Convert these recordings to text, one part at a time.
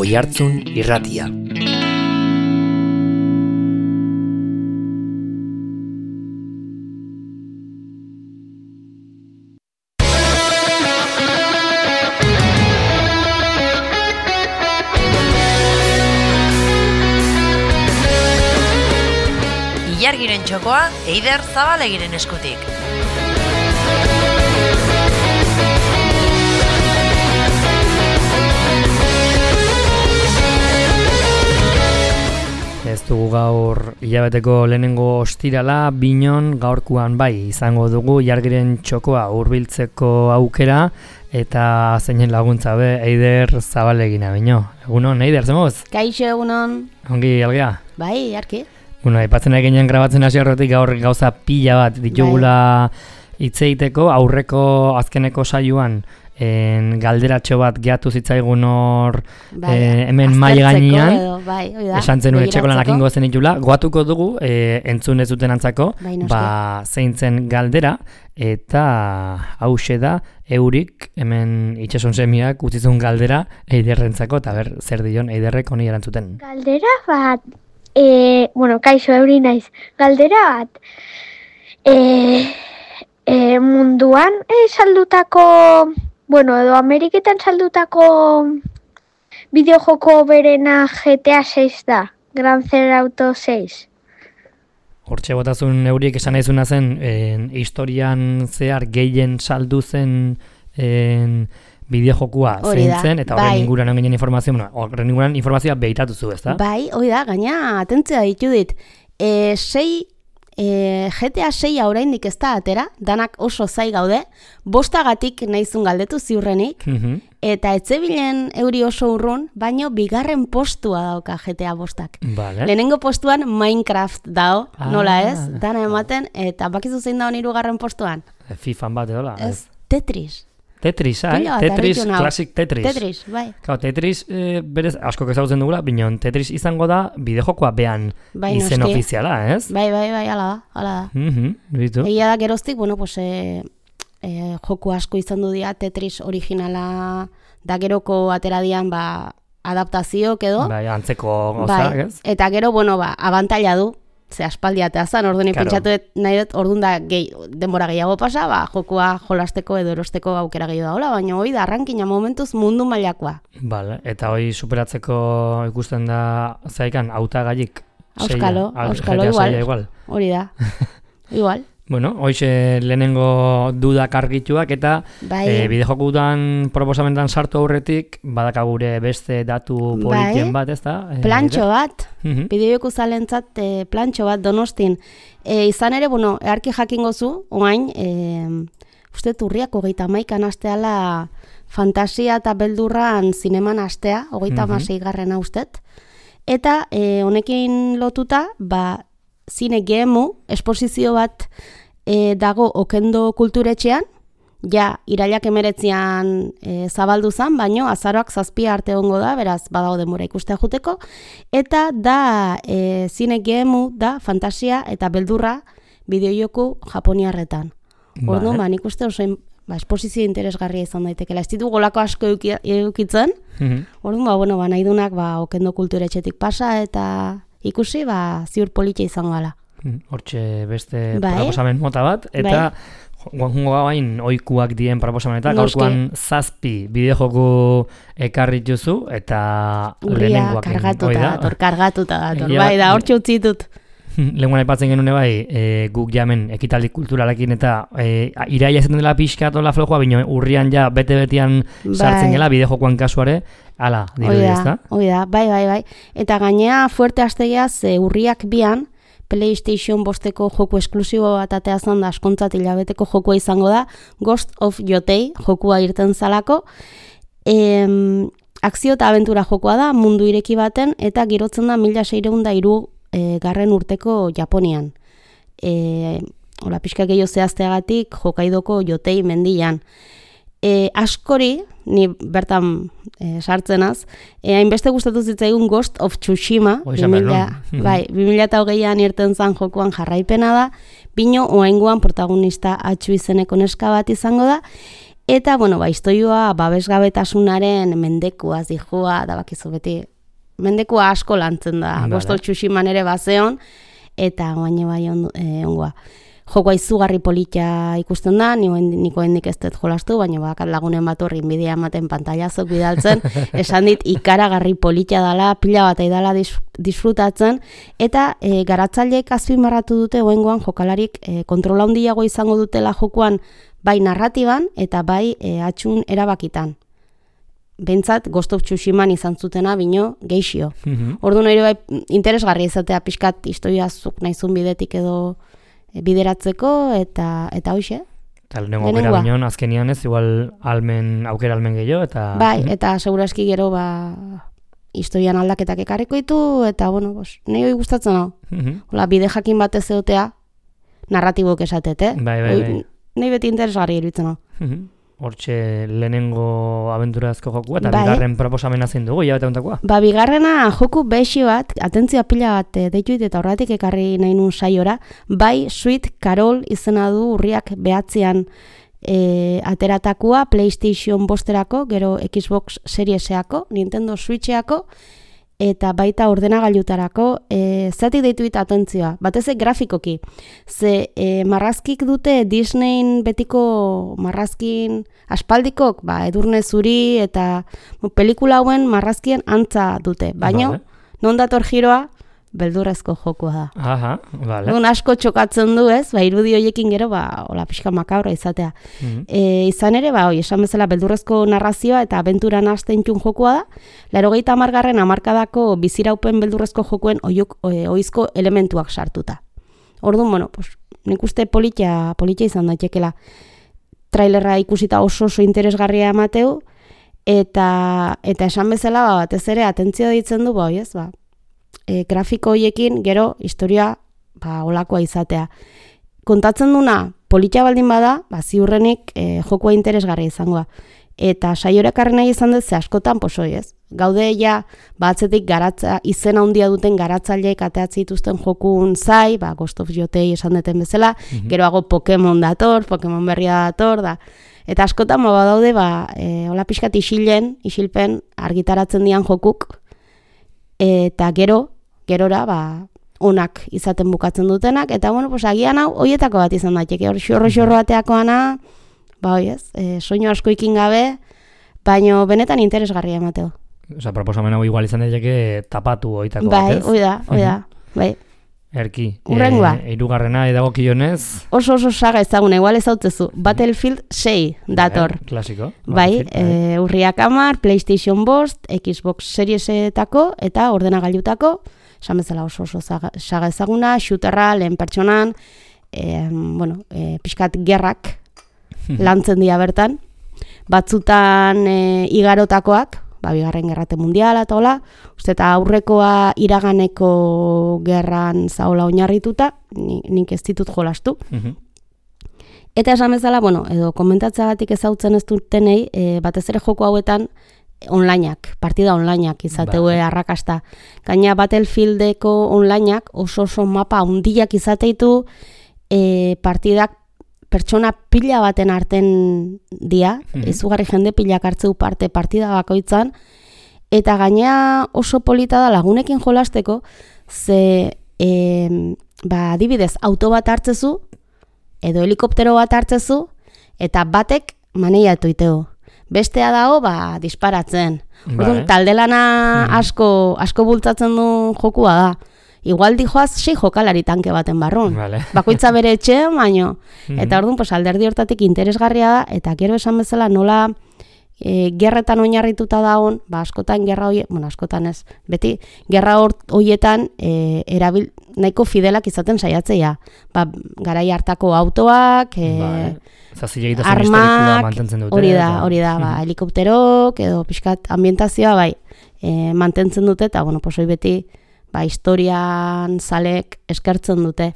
Oihartzun Irratia. Ilargiren txokoa Eider Zabalegiren eskutik. Ez dugu gaur hilabeteko lehenengo ostirala, binon gaurkoan bai izango dugu Ilargiren txokoa hurbiltzeko aukera eta zeinen laguntza be Eider Zabalegina bino. Egunon, Eider, zemoz? Kaixo, egunon. Ongi, algea? Bai, arki. Bueno, aipatzen eginen grabatzen hasi horretik gaur gauza pila bat ditugula hitz egiteko, aurreko azkeneko saioan galderatxo bat geatu zitzaigun hor hemen mahai gainean, esan zenuen etxeko lanak ingo zen ditula, goatuko dugu entzun ez duten antzako, zeintzen galdera, eta hause da eurik hemen itxason semiak utzizun galdera Eiderrentzako, eta ber, zer dion Eiderrek honi erantzuten. Galdera bat, kaixo euri naiz, galdera bat, munduan saldutako, edo Ameriketan saldutako bideojoko berena GTA 6 da, Grand Theft Auto 6. Hortxe botazun euriek esan naizuna zen, historian zehar gehien saldu zen bideojokua zein zen, eta horren inguruan ginen informazioa, horren inguruan informazioa behitatu zu, ezta? Bai, hori da, gaina, atentzia ditu dit, GTA 6 oraindik ez da atera, danak oso zai gaude, 5 naizun galdetu ziurrenik, eta etzebilen euri oso urrun, baino bigarren postua dauka GTA 5. Vale. Lehenengo postuan Minecraft dao, nola ez, dana ematen, eta bakizu zein daun 3. postuan? FIFA bat edola. Ez, Tetris. Tetris, Tetris, Classic Tetris. Tetris, bai. Tetris, berez, asko ezagutzen dugula, binon Tetris izango da bideojokoa behan izen ofiziala, ez? Bai, ala da. Egia da geroztik, joku asko izan du dira, Tetris originala da geroko ateradian, adaptazioak edo. Bai, antzeko gozak, ez? Eta gero, abantaila du. Ze aspaldia eta zan, orduan pentsatu nahi dut, orduan da denbora gehiago pasa, jokua jolasteko edo erosteko aukera gehiago daola, baina hoi da arrankina momentuz mundu mailakoa. Vale, eta hoi superatzeko ikusten da zaikan hautagaiik. Auskalo igual. Hori da, igual. Bueno, hoxe lehenengo dudak argituak eta bideojokutan proposamentan sartu aurretik badakagure beste datu politien bat, ez da? Plantxo bat, bideojoku zalentzat plantxo bat Donostin. Izan ere, earki jakingo zu, oain, uste urriak 31 asteala fantasia eta beldurran zineman astea, 36 ustet. Eta honekin lotuta, zine gemu, esposizio bat dago Okendo kulturetxean, irailak 19 zabaldu zan, baino azaroak 7 arte ongo da, beraz badago denbora ikustea juteko, eta da zine gemu da fantasia eta beldurra bideojoku japoniarretan. Orduan, nik uste oso esposizio interesgarria izan daitekela. Ez ditu golako asko edukitzen, orduan, nahi dunak Okendo kulturetxetik pasa eta ikusi, ziur politxe izango gala. Hortxe beste proposamen mota bat, eta guango gain oikuak dien proposamenetak, gaurkoan 7 bideojoku ekarri juzu, eta lehenengoak. Kargatuta dator, da, hortxe utzi ditut. Lehenguan aipatzen genune guk jamen ekitaldi kulturalekin eta iraia ezaten dela pixkatola flojoa, bino urrian bete-betian sartzen gela bideojokoan kasuare, ala, dirudi ez da? Hoi da, bai. Eta gainea fuerte astegeaz urriak bian, PlayStation 5 joku esklusibo bat ateazan da askontzat hilabeteko jokua izango da, Ghost of Yotei jokua irten zalako, akzio eta abentura jokua da, mundu ireki baten, eta girotzen da 1603 garren urteko Japonian. Pixka gehiago zehazteagatik Hokaidoko Yotei mendian. Askori, ni bertan sartzenaz, hainbeste gustatu zitzaigun Ghost of Tsushima, 2008an irten zan jokuan jarraipena da, bino oaingoan protagonista atxu izeneko neska bat izango da, Eta, bueno, istoioa babesgabetasunaren mendekua zijoa, da bakizu beti, mendekua asko lantzen da, Ghost of Tsushiman ere bazeon, eta baina bai ongoa. Jokoa izugarri polita ikusten da, niko hendik ez dut jolastu, baina bakat lagunen bat horri inbidia ematen pantailazok bidaltzen, esan dit ikaragarri polita dala, pila bat aidala disfrutatzen, eta garatzaileek azpimarratu dute oengoan jokalarik kontrola handiago izango dutela jokoan bai narratiban eta bai atxun erabakitan. Bentsat Ghost of Tsushiman izan zutena bino geixio. Orduan ere bai interesgarria izatea pixkat historiazuk naizun bidetik edo bideratzeko eta hoxe. Eta lehenengo aukera bineon, azkenian ez, igual aukera almen gehiago, eta... Bai, eta seguraski gero, historian aldaketak ekarriko ditu, eta, bueno, nahi hori gustatzen hau. Hola, bide jakin batez egotea, narratibok esatet, Bai. Nahi beti interesgarri iruditzen hau. Hortxe lehenengo abenturazko jokua, eta bigarren proposamena zein dugu, eta ontakoa? Bigarrena joku behixi bat, atentzioa pila bat deituit eta horretik ekarri nahi nun saiora, bai Sweet Carol izena du urriak behatzean ateratakoa, PlayStation bosterako, gero Xbox Serieseako, Nintendo Switcheako, eta baita ordenagailutarako, zati deituit atentzioa, batez grafikoki. Ze marrazkik dute Disneyn betiko marrazkin aspaldikok, Edurne Zuri eta pelikula hauen marrazkien antza dute. Baina, non dator giroa, beldurrezko jokua da. Aha, vale. Asko txokatzen du ez, irudi hoiekin gero, hola pixka makabra izatea. Izan ere, esan bezala beldurrezko narrazioa eta abenturan hasten txun jokua da, 80. hamarkadako biziraupen beldurrezko jokuen oizko elementuak sartuta. Orduan, bueno, nik uste polita izan daitekela. Trailerra ikusita oso interesgarria emateu, eta esan bezala, batez ere, atentzio ditzen du, grafiko hoiekin gero historia olakoa izatea. Kontatzen duna polita baldin bada, ziurrenik jokoa interesgarria izangoa. Eta saiorekarri nahi izan dut ze askotan posoi ez. Gaude ja batzetik garatza izena handia duten garatzaileek ateatzi dituzten jokun zai, Ghost of Jotei esan duten bezala, geroago Pokemon dator, Pokemon berria dator da. Eta askotan badaude hola pixkat isilpen argitaratzen dian jokuk, eta gerora onak izaten bukatzen dutenak, eta bueno, agian hau hoietako bat izan daiteke, hor xorro bateakoana, soinu asko ikin gabe, baino benetan interesgarria emateo. Osa, proposamen hau igual izan daiteke tapatu hoitako bat, ez? Bai, bai. Erki, Urrengoa. Hirugarrena edagokionez. Oso saga ezaguna, igual ez hautzezu. Battlefield 6 dator. Klasiko. Bai, urriak 10, PlayStation bost, Xbox Seriesetako eta ordenagailutako, esan bezala oso saga ezaguna, shooterra, lehen pertsonan, pixkat gerrak lantzen dira bertan. Batzutan igarotakoak, Bigarren Gerrate Mundiala eta hola, uste eta aurrekoa iraganeko gerran zaola oinarrituta, nik ez ditut jolastu. Eta esan bezala, edo komentatzagatik ezautzen ez dutenei, batez ere joko hauetan onlineak, partida onlineak izateue arrakasta. Gaina Battlefieldeko onlineak oso mapa handiak izateitu, partidak pertsona pila baten arten dia, izugarri jende pilak hartzeu parte partida bakoitzan, eta gainea oso polita da lagunekin jolasteko, ze adibidez auto bat hartzezu, edo helikoptero bat hartzezu, eta batek maneiatu iteo. Bestea dago, disparatzen. Taldelana asko bultzatzen du jokua da. Igual dijoaz 6 jokalari tanke baten barrun. Bakoitza bere etxean, baino. Eta orduan, alderdi hortatik interesgarria da, eta gero esan bezala nola gerretan oinarrituta dagoen, askotan gerra hori, askotan ez, beti gerra horietan nahiko fidelak izaten saiatzea. Garai hartako autoak, armak, hori da, helikopterok, edo pixkat ambientazioa, mantentzen dute, eta, hori beti, historian zalek eskertzen dute.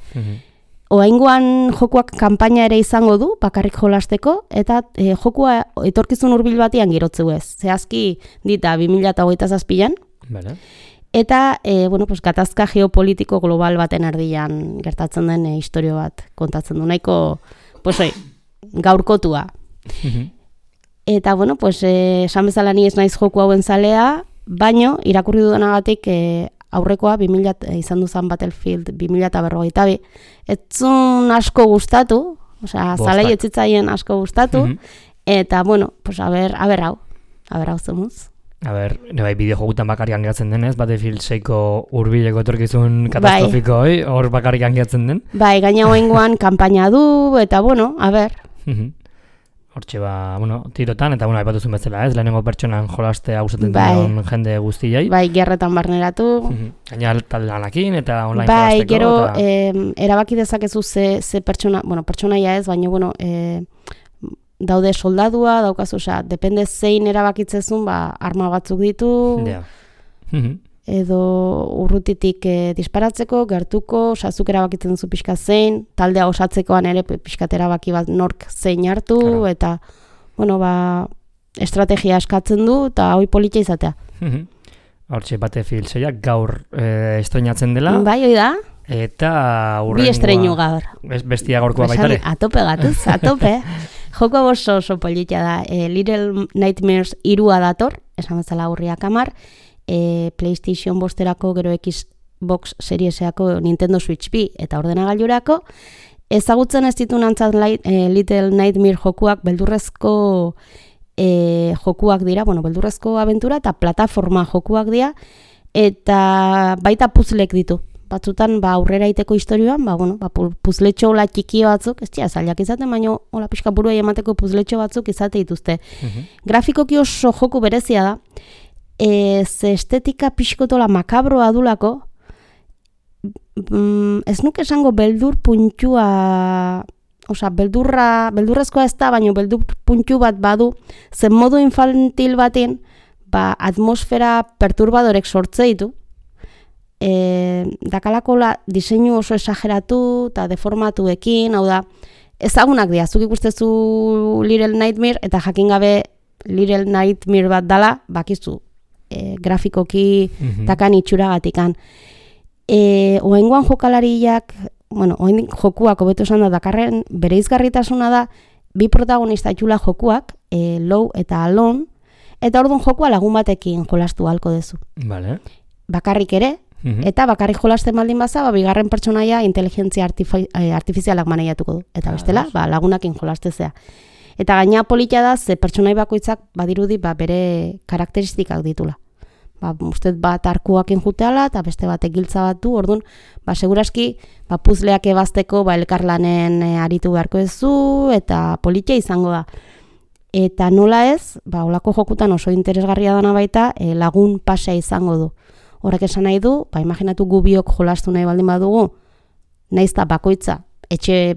Oaingoan jokuak kanpaina ere izango du, bakarrik jolasteko, eta jokua etorkizun hurbil batian girotzeu ez. Zehazki dita 2027an. Eta, gatazka geopolitiko global baten erdian gertatzen den historio bat kontatzen du. Nahiko, gaurkotua. Eta, bueno, pues, esan bezala ni ez naiz joku hauen zalea, baino, irakurri dudanagatik aurrekoa 2000 izan duzan Battlefield 2042. Etzun asko gustatu, osea, zalei etzitzaien asko gustatu, eta, bueno, pues, a ver hau zemuz. A ber, bai, bideo-jogutan bakarrik angeatzen denez, Battlefield 6ko hurbileko etorkizun katastrofiko, hor bakarrik angeatzen den. Bai, gaina hoengoan kanpaina du, eta, bueno, a ber. Hortxe, bueno, tirotan, eta, bueno, aipatuzun bezala, ez? Lehenengo pertsonan jolaste hausaten dion jende guztiai. Bai, gerretan barneratu. Gaina lanakin, eta online bai, jolasteko. Bai, gero, erabaki dezakezu ze pertsona, bueno, pertsonaia ez, baina, bueno, daude soldadua, daukazu, osea, depende zein erabakitzezun, arma batzuk ditu, edo urrutitik disparatzeko, gertuko, osea, zuk erabakitzen zu pixka zein, taldea osatzekoan ere pixkat erabaki bat nork zein hartu, eta, bueno, estrategia eskatzen du, eta hoi politia izatea. Hortxe, Battlefield 6 gaur estreinatzen dela. Bai, hoi da. Eta bi estreinu gaur. Bestia gaurkoa baitare. Atope gatuz, atope. Joko oso politia da. Little Nightmares 3 dator, esan bezala urriak 10, PlayStation 5erako, gero Xbox Serieseko, Nintendo Switch B eta ordenagailurako. Ezagutzen ez ditu nantzat Little Nightmare jokuak beldurrezko jokuak dira, bueno, beldurrezko abentura eta plataforma jokuak dira, eta baita puzzlek ditu. Batzutan, aurrera iteko historioan, puzletxo hola txikio batzuk, ez dira, zailak izaten, baina hola pixka buruai emateko puzletxo batzuk izate dituzte. Grafikoki oso joku berezia da, ze estetika pixkotola makabroa dulako, ez nuke esango beldur puntua, osea, beldurrezkoa ez da, baina beldur puntu bat badu, zen modu infantil baten, atmosfera perturbadorek sortze ditu, dakalakola diseinu oso esageratu eta deformatuekin, hau da, ezagunak dira, zuk ikustezu Little Nightmare eta jakin gabe Little Nightmare bat dala, bakizu, grafikoki takan itxuragatikan. Oengoan jokalariak, bueno, oen jokuak hobeto esan da dakarren bereizgarritasuna da, bi protagonista itxula jokuak, Low eta Alone, eta orduan jokua lagun batekin jolastu halko dezu. Vale. Bakarrik ere, eta bakarrik jolasten baldin baza, bigarren pertsonaia inteligentzia artifizialak maneiatuko du. Eta bestela, lagunakin jolastezea. Eta gaina politia da, ze pertsonai bakoitzak badirudi bere karakteristikak ditula. Usted bat arkuakin juteala, eta beste bat egiltza bat du, orduan, seguraski, puzleak ebazteko, elkarlanen aritu beharko ezu, eta politia izango da. Eta nola ez, olako jokutan oso interesgarria dana baita, lagun pasea izango du. Horrek esan nahi du, imaginatu gu biok jolastu nahi baldin badugu, naizta bakoitza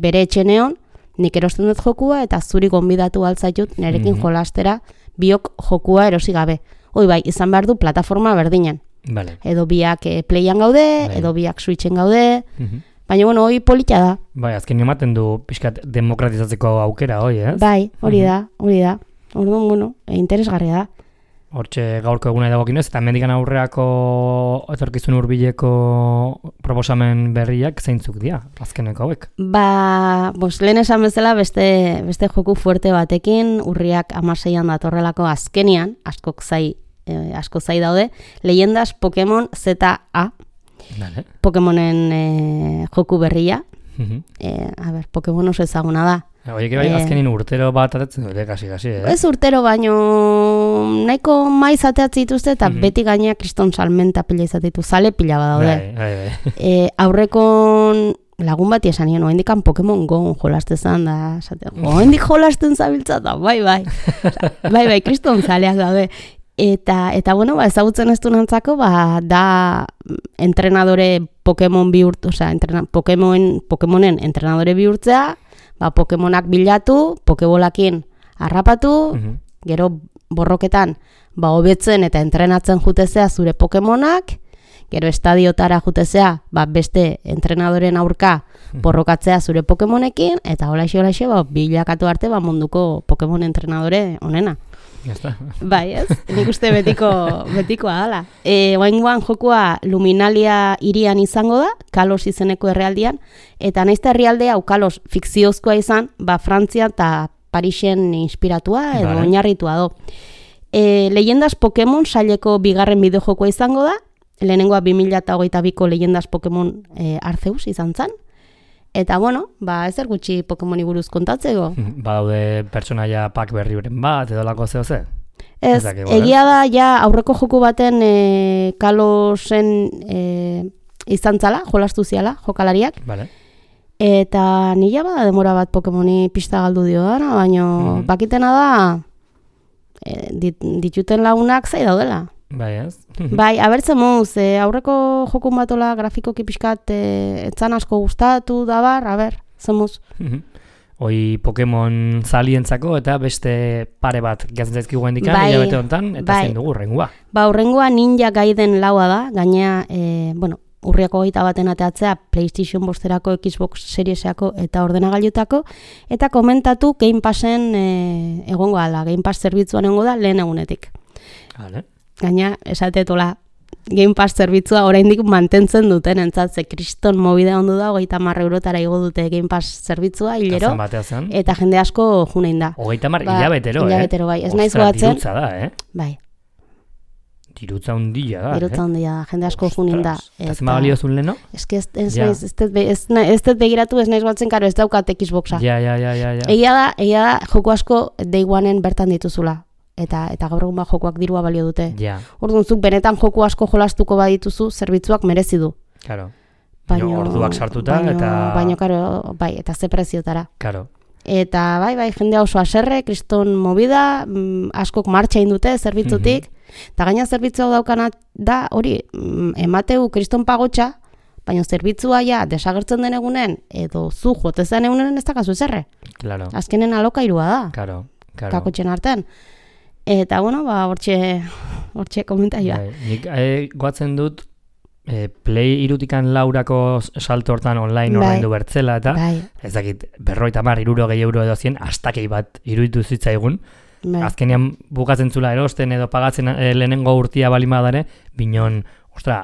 bere etxe neon, nik erosten dut jokua eta zuri gonbidatu altzaitut nerekin jolastera biok jokua erosi gabe. Hoi izan behar du plataforma berdinen. Vale. Edo biak playan gaude, edo biak switchen gaude, baina bueno, hoi polita da. Bai, azken ematen du pixkat demokratizatzeko aukera, hoi, ez? Bai, hori da. Orduan, bueno, interesgarria da. Hortxe gaurko eguna dagokinez, eta mendikan aurreako etorkizun hurbileko proposamen berriak zeintzuk dira, azkeneko hauek? Lehen esan bezala beste joku fuerte batekin, urriak 16an datorrelako azkenian, asko zai daude, Leyendas Pokemon ZA, Pokemonen joku berria. Pokemon oso ezaguna da. Oiek bai, azkenin urtero bat atetzen dute, kasi, Ez urtero, baino nahiko maiz ateatzen dituzte, eta beti gainea kriston salmenta pila izatetu, zale pila badaude. Aurrekon lagun bati esan nien, oendikan Pokemon Go jolastezan da, oendik jolasten zabiltza da, bai, kriston zaleak daude. Eta bueno, ezagutzen ez du nantzako, da entrenadore Pokemon bihurtu, osea, Pokemonen entrenadore bihurtzea, Pokemonak bilatu, Pokebolakin harrapatu, gero borroketan hobetzen eta entrenatzen jutezea zure Pokemonak, gero estadiotara jutezea beste entrenadoren aurka borrokatzea zure Pokemonekin, eta holaxe bilakatu arte munduko Pokemon entrenadore onena. Bai, ez? Nik uste betikoa dala. Oengoan jokua Luminalia hirian izango da, Kalos izeneko herrialdean, eta naizta herrialdea Kalos fikziozkoa izan, Frantzia eta Parisen inspiratua edo Vale. oinarritua do. Leyendas Pokemon saileko bigarren bideojokoa izango da, lehenengoa 2022ko Leyendas Pokemon Arceus izan zen. Eta bueno, ezer gutxi Pokemoni buruz kontatzeko. Badaude pertsonaia pak berriuren bat, edo lako zeo. Ez, egia da, ja aurreko joku baten Kalosen izan zala, jolastu ziala, jokalariak. Vale. Eta nila bada demora bat Pokemoni pista galdu dio dara, baina bakitena da dituten lagunak zai daudela. Bai, ez? Bai, abertzen moz, aurreko jokun batola grafikoki pixkat etzan asko gustatu dabar, zemuz. Hoi Pokemon zalientzako eta beste pare bat gazen zaizkigu hendikan, hilabete honetan, eta zein dugu urrengoa. Urrengoa Ninja Gaiden laua da, gainea, urriako 21 ateatzea PlayStation 5erako, Xbox Seriesako eta ordenagailutako, eta komentatu Game Passen egongo ala, Game Pass zerbitzuan egongo da lehen egunetik. Vale. Gaina, esatetola, Game Pass zerbitzua oraindik mantentzen duten entzatze, kriston mobide ondu da, 30 eurotara igo dute Game Pass zerbitzua, hilero, eta jende asko junein da. 30 hilabetero, hilabetero, bai, ez naiz goatzen. Dirutza da, Bai. Dirutza hundia da, Dirutza hundia da, jende asko junein da. Eta zema baliozun leheno? Ez dut begiratu, ez naiz goatzen, karo, ez daukat Xboxa. Ja. Egia da, joko asko Day One-en bertan dituzula. Eta gaur egun jokoak dirua balio dute. Ja. Orduan zuk benetan joku asko jolastuko badituzu, zerbitzuak merezi du. Claro. Baina orduak sartuta Baina, karo, bai, eta ze preziotara. Claro. Eta bai, jendea oso haserre, kriston movida, askok martxa indute zerbitzutik, eta gaina zerbitzua daukana da, hori, emateu kriston pagotxa, baina zerbitzua ja desagertzen den egunen, edo zu jotezen egunen ez dakazu zerre. Claro. Azkenen alokairua da. Claro. Kakotxen artean. Eta, bueno, hortxe komentaioa. Nik goatzen dut Play 3 laurako salto hortan online ordaindu bertzela, eta ez dakit, 50, 60 euro edo 100, astakei bat iruditu zitzaigun. Azkenean bukatzen zula erosten edo pagatzen lehenengo urtia balimadare, binon,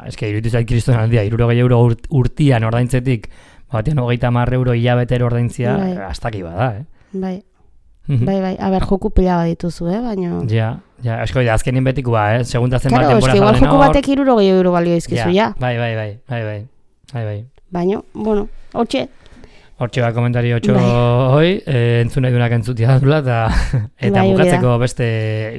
eske iruditu zait kriston aldia, 60 euro urtian ordaintzetik, batean 30 euro hilabetero ordaintzia, astakei bada, Bai. Bai, joku pila bat dituzu, baina... Ja, esko, azkenin betikoa, segundazen bat denbora zauden hor... Igual joku batek 60 euro balio izkizu, ja. Bai. Baina, bueno, hortxe bat komentari hoi, entzun nahi dunak entzutia dula, eta bukatzeko beste...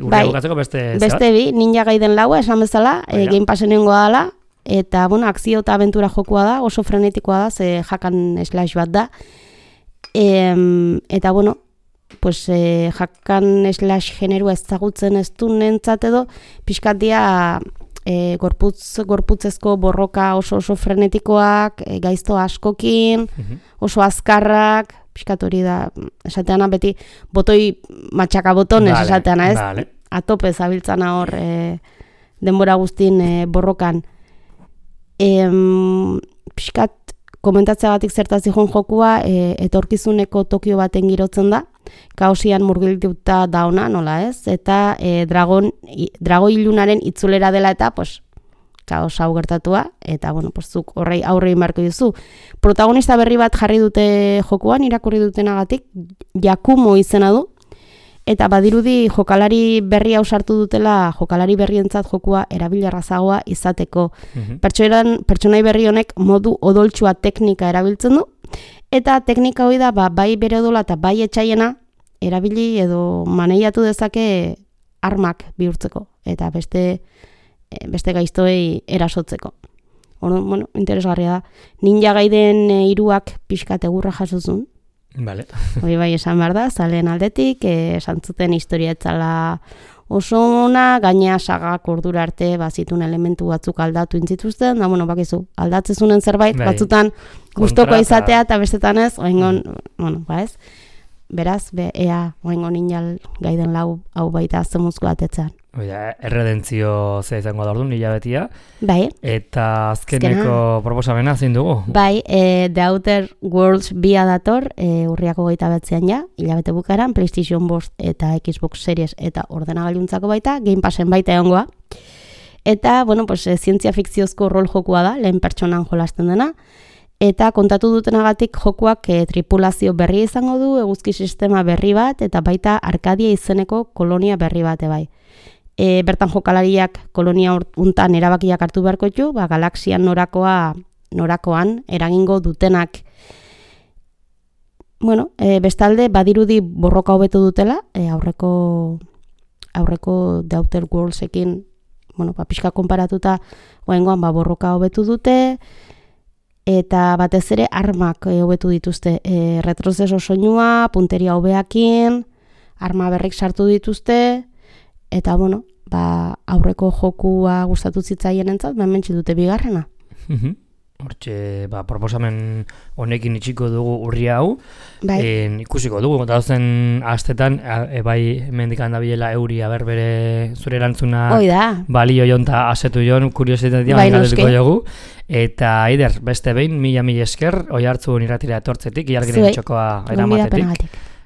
Urria bukatzeko beste... Beste bi, Ninja Gaiden laua, esan bezala, Game Passen egongo dala, eta, bueno, akzio eta aventura jokua da, oso frenetikoa da, ze hakan slash bat da, eta, bueno, pues hakan slash generua ezagutzen ez du nentzat edo, pixkat dia gorputzezko borroka oso frenetikoak, gaizto askokin, oso azkarrak, pixkat hori da, esateana beti botoi matxaka botonez esateana, ez? Vale. Atope zabiltzana hor denbora guztin borrokan. Pixkat komentatzeagatik zertaz dihon jokua, etorkizuneko Tokio baten girotzen da, kaosian murgilduta dauna, nola ez? Eta drago ilunaren itzulera dela eta, pues, kaos hau gertatua, eta, bueno, pues, zuk horrei aurre inbarko duzu. Protagonista berri bat jarri dute jokuan, irakurri dutenagatik, Yakumo izena du, eta badirudi jokalari berri hau sartu dutela, jokalari berrientzat jokua erabilerrazagoa izateko. Pertsonai berri honek modu odoltsua teknika erabiltzen du, eta teknika hori da, bai bere odola eta bai etxaiena erabili edo maneiatu dezake armak bihurtzeko, eta beste gaiztoei erasotzeko. Bueno, interesgarria da. Ninja Gaiden 3ak pixkat egurra jasozun. Vale. Hori bai esan behar da, zaleen aldetik, esan zuten historia etzala oso ona, gainea sagak ordura arte bazitun elementu batzuk aldatu intzituzten, da, bueno, bakizu, aldatzezunen zerbait, batzutan gustoko izatea eta bestetan ez, oengon, bueno, ez, beraz, ea, oengon Ninja Gaiden lau hau baita zemuzko atetzen. Erredentzio zea izango da orduan, hilabetia. Bai. Eta azkeneko proposamena zein dugu? Bai, The Outer Worlds 2 dator, urriako 29 ja, hilabete bukaran, PlayStation 5 eta Xbox Series eta ordenagailuntzako baita, Game Passen baita egongoa. Eta, bueno, pues, zientzia fikziozko rol jokua da, lehen pertsonan jolasten dena. Eta kontatu dutenagatik jokuak tripulazio berria izango du, eguzki sistema berri bat, eta baita Arkadia izeneko kolonia berri bat bai. Bertan jokalariak kolonia untan erabakiak hartu beharko ditu, galaxian norakoan eragingo dutenak. Bueno, bestalde badirudi borroka hobetu dutela, aurreko The Outer Worldsekin, pixka konparatuta goengoan borroka hobetu dute, eta batez ere armak hobetu dituzte. Retrozeso soinua, punteria hobeakin, arma berrik sartu dituzte, eta aurreko jokua gustatu zitzaienentzat, hementsi dute bigarrena. Hortxe, proposamen honekin itxiko dugu urri hau, ikusiko dugu, dauzen astetan, bai mendikan dabilela euri, bere zure erantzuna balio jonta asetu jon, kuriositatea galdetuko jogu, eta Eider, beste behin, mila esker, oi hartzun irratira etortzetik, iargiren txokoa eramatetik,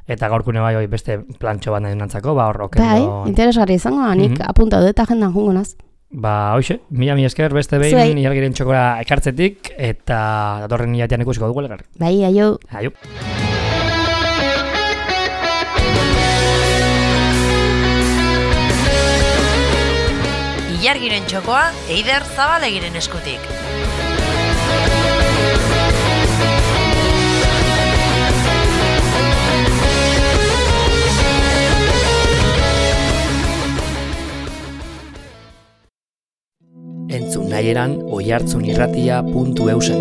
eta gaurkune bai beste plantxo bat nahi nantzako, hor okendo... Bai, interesgarri izango, nik apunta dut agendan jungo naz. Hoxe, mila esker beste behin iargiren txokora ekartzetik eta datorren hilatean ikusiko dugu elgar. Bai, aio. Aio. Ilargiren txokoa Eider Zabalegiren eskutik. Entzun nahieran oihartzunirratia.eusen.